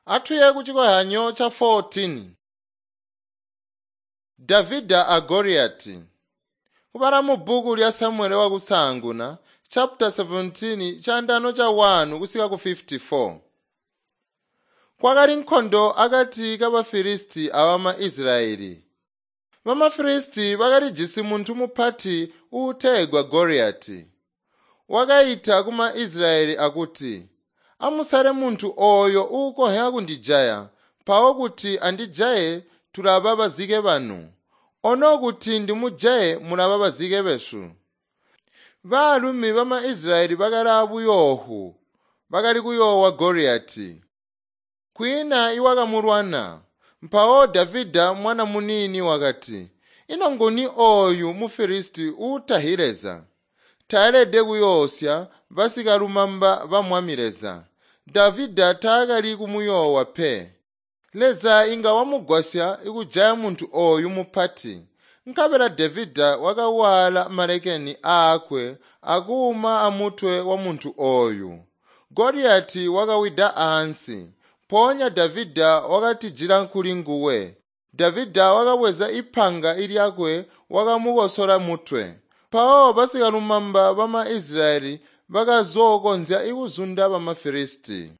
Atuye kuchikoyanyo cha 14. Davida a Goliati. Kubala mu bhuku lya Samuele wakusaanguna chapter 17 chandano cha 1 kusika ku 54. Kwakali nkhondo akati ka Bafilisti abama Israeli. Bamafilisti bakalijisi munthu mupati uutegwa Goliati. Wakayita kuma Israeli akuti, amusale munthu oyo uukonhya kundijaya, mpawo kuti andijaye tulaba bazike banu. Ono kuti ndimujaye mulaba bazike besu. Baalumi bama Israeli bakali abuyoohu, bakali kuyoowa Goliati. Kwiina iwakamulwana. Mpawo Davida mwana munini wakati, ino nguni oyu Mufilisti uutahi Leza? Taelede kuyoosya basikalumamba ba Mwami Leza. Davida taakali kumuyoowa pe. Leza inga wamugwasya kujaya muntu oyu mupati. Nkabela Davida wakawaala malekeni aakwe akuuma amutwe wa muntu oyu. Goliati wakawida ansi. Mpoonya Davida wakatijila kuli nguwe. Davida wakabweza ipanga lyakwe wakamukosola mutwe. Mpawo basikalumamba bama Israeli bakazookonzya kuzunda bamafilisti.